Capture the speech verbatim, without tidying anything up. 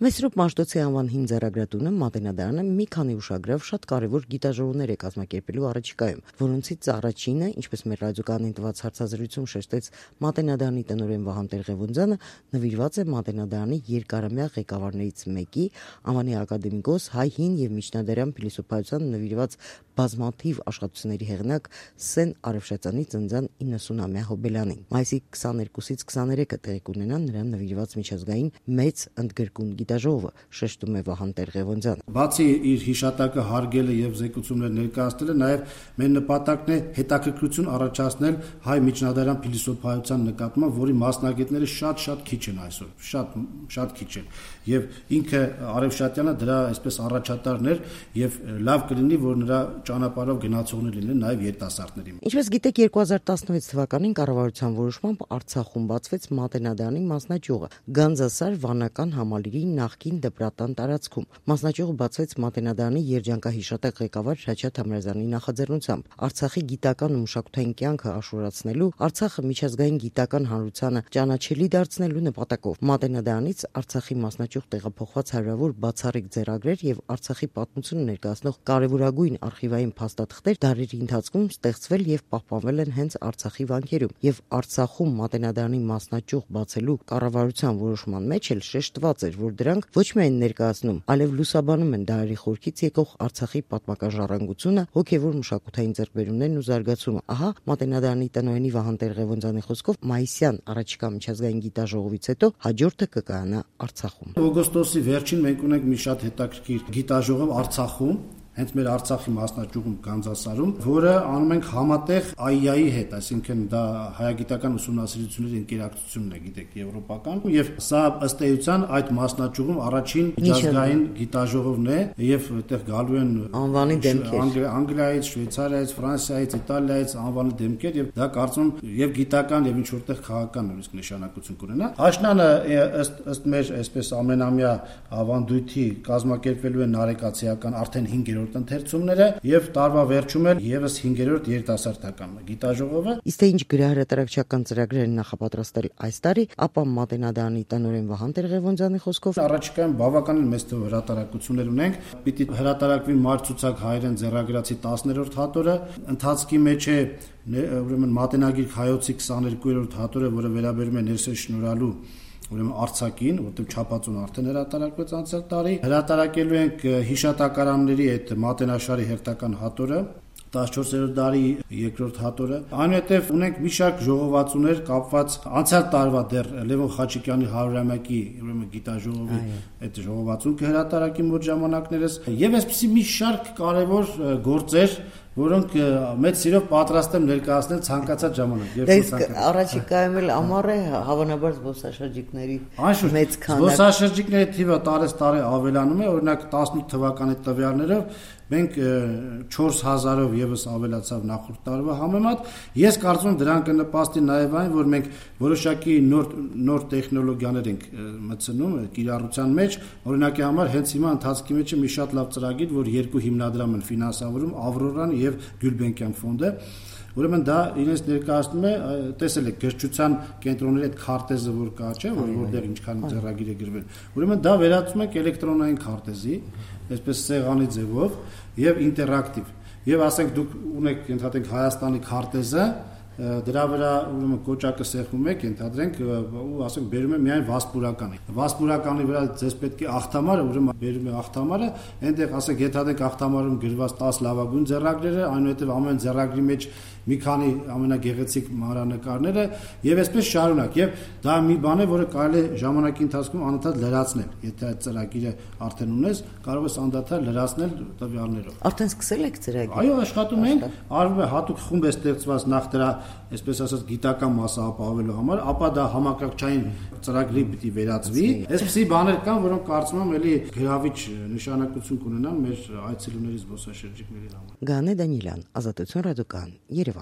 Մեսրոպ Մաշտոցի անվան հին ձեռագրատունը Մատենադարանը մի քանի ուշագրավ շատ կարևոր գիտաժողովներ է կազմակերպելու առաջիկայում, որոնցից առաջինը, ինչպես մեր ռադիոկայանին տված հարցազրույցում շեշտեց Մատենադարանի տնօրեն Վահան Տեր-Ղևոնդյանը, նվիրված է Մատենադարանի երկարամյա ղեկավարներից մեկի, անվանի ակադեմիկոս, հայ հին եւ միջնադարյան փիլիսոփայության նվիրված բազմաթիվ աշխատությունների հեղինակ Սեն Արևշացյանի ծննդյան իննսունամյա հոբելյանին։ Մայիսի քսաներկուսից քսաներեքը տեղի կունենա նրան նվիրված միջազգային մեծ ընդգրկուն գիտաժողովը, շեշտում է Վահան Տեր-Ղևոնդյանը։ Բացի իր հիշատակը հարգելը եւ զեկուցումներ ներկայացնելը, նաեւ մեր նպատակն է հետաքրքրություն առաջացնել հայ միջնադարյան փիլիսոփայության նկատմամբ, որի մասնագետները շատ-շատ քիչ են այսօր, շատ շատ քիչ են։ Եվ ինքը Արևշատյանը դրա այսպես առաջատարն էր եւ լավ կլինի, որ նրա ճանապարհով գնացողներ լինեն նաեւ երիտասարդների։ Ինչպես գիտեք, երկու հազար տասնվեց թվականին կառավարության որոշմամբ Արցախում բացվեց Մատենադարանի մասնաճյուղը Գանձասար վանական համալիրի նախկին դպրատան տարածքում։ Մասնաճյուղը բացվեց Մատենադարանի երջանկահիշատակ ղեկավար Հրաչյա Թամրազյանի նախաձեռնությամբ Արցախի գիտական ու մշակութային կյանքը աշխուժացնելու, Արցախը միջազգային գիտական հանրությանը ճանաչելի դարձնելու նպատակով Մատենադարանից Արցախի մասնաճյուղ տեղափոխված հարյուրավոր բացառիկ ձեռագրեր եւ Արցախի պատմությունը ներկայացնող կարևորագույն արխիվային փաստաթղթեր դարերի ընթացքում ստեղծվել եւ պահպանվել են հենց Արցախի վանքերում, եւ Արցախում Մատենադարանի մասնաճյուղ բացելու կառավարության որոշման մեջ էլ շեշտված էր, որ դրանք ոչ միայն ներկայացնում, այլև լուսաբանում են դարերի խորքից եկող Արցախի պատմական ժառանգությունը, հոգեվոր մշակութային ձեռքբերումներն ու զարգացումը։ Ահա Մատենադարանի տնօրենի Վահան Տեր-Ղևոնդյանի խոսքով մայիսյան առաջիկա միջազգային գիտաժողովից հետո հաջորդը կկայանա Արցախում։ Օգոստոսի վերջին մենք ունենք մի շատ հետաքրքիր գիտաժողով Արցախում, հենց մեր Արցախի մասնաճյուղում Գանձասարում, որը անում ենք համատեղ այ ի այի հետ, այսինքն դա հայագիտական ուսումնասիրությունների ընկերակցությունն է, գիտեք, եվրոպական, եւ սա ըստ էության այդ մասնաճյուղում առաջին միջազգային գիտաժողովն է, եւ այդտեղ գալու են անվանի դեմքեր Անգլիայից, Շվեյցարիայից, Ֆրանսիայից, Իտալիայից անվանի դեմքեր, եւ դա կարծում եւ գիտական եւ ինչ որտեղ քաղաքական նույնիսկ նշանակություն կունենա։ Աշնանը ըստ ըստ մեր այսպես ամենամյա ավանդույթի կազմակերպվելու են նարեկացիական արդեն հինգերորդ ընթերցումները եւ տարվա վերջում էլ եւս հինգերորդ երիտասարդական գիտաժողովը։ Իսկ թե ինչ գրահրատարակչական ծրագրեր են նախապատրաստել այս տարի, ապա Մատենադարանի տնօրեն Վահան Տեր-Ղևոնդյանի խոսքով առաջիկայում բավականին մեծ թվով հրատարակություններ ունենք։ Պիտի հրատարակվի Մարցուցակ հայերեն ձեռագրացի տասներորդ հատորը, ընթացքի մեջ է ուրեմն Մատենագիր Հայոցի քսաներկուերորդ հատորը, որը վերաբերում է ներսես շնորհալու ուրեմն Արցախին, որտեղ չափածուն արդեն հրատարակվեց անցյալ տարի։ Հրատարակելու ենք հիշատակարանների այդ Մատենաշարի հերթական հատորը, տասնչորսերորդ դարի երկրորդ հատորը։ Այնուհետև ունենք մի շարք ժողովածուներ կապված անցյալ տարվա դեռ Լևոն Խաչիկյանի հարյուրամյակի ուրեմն գիտաժողովի այդ ժողովածուն կհրատարակի մոտ ժամանակներս եւ այսպեսի մի շարք կարևոր գործեր, որոնք մեծ սիրով պատրաստ եմ ներկայացնել ցանկացած ժամանակ։ Դե առաջիկայում էլ ամառ է, հավանաբար զբոսաշրջիկների մեծ քանակ։ Զբոսաշրջիկների թիվը տարես տարի ավելանում է, օրինակ տասնութ թվականի տվյալներով մենք չորս հազարով եւս ավելացավ նախորդ տարվա համեմատ։ Ես կարծում եմ դրան կնպաստի նաեւ այն, որ մենք որոշակի նոր նոր տեխնոլոգիաներ ենք մտցնում կիրառության մեջ։ Օրինակի համար հենց հիմա ընթացքի մեջ է մի շատ լավ ծրագիր, որ երկու հիմնադրամ են ֆինանսավորում, Ավրորան եւ Գյուլբենկյան ֆոնդը։ Ուրեմն դա իրենց ներկայացնում է, տեսել եք գրչության կենտրոնների այդ քարտեզը, որ կա, չէ, որ որտեղ ինչքան ձեռագիր է գրվել։ Ուրեմն դա վերածում ենք էլեկտրոնային քարտեզի, այսպես սեղանի ձևով եւ ինտերակտիվ։ Եվ ասենք դուք ունեք, ենթադրենք Հայաստանի քարտեզը, դրա վրա ուրեմն կոճակը սեղմում եք, ենթադրենք ու ասենք բերում է միայն վասպուրականի։ Վասպուրականի վրա ձեզ պետք է ախտամարը, ուրեմն բերում է ախտամարը, այնտեղ ասենք ենթադրենք ախտամարում գրված տասը լավագույն ձեռագրերը, այնուհետև ամեն ձեռագրի մեջ մի քանի ամենագեղեցիկ մանրանկարները եւ այսպես շարունակ։ Եվ դա մի բան է, որը կարելի է ժամանակի ընթացքում անընդհատ լրացնել։ Եթե այդ ծրագիրը արդեն ունես, կարող ես անդադար լրացնել տվյալներով։ Արդեն սկսել եք ծրագիրը։ Այո, աշխատում ենք, արվում է հատուկ խումբ է ստեղծված նախ դրա, այսպես ասած, գիտական մասը ապահովելու համար, ապա դա համակարգչային ծրագրի պիտի վերածվի։ Այսպիսի բաներ կան, որոնք կարծում եմ էլի գրավիչ նշանակություն կունենան մեր այցելուների զբոսաշրջիկների համար։ Գանե Դանիելյան, Ազատություն ռադիոկայան, Երևան։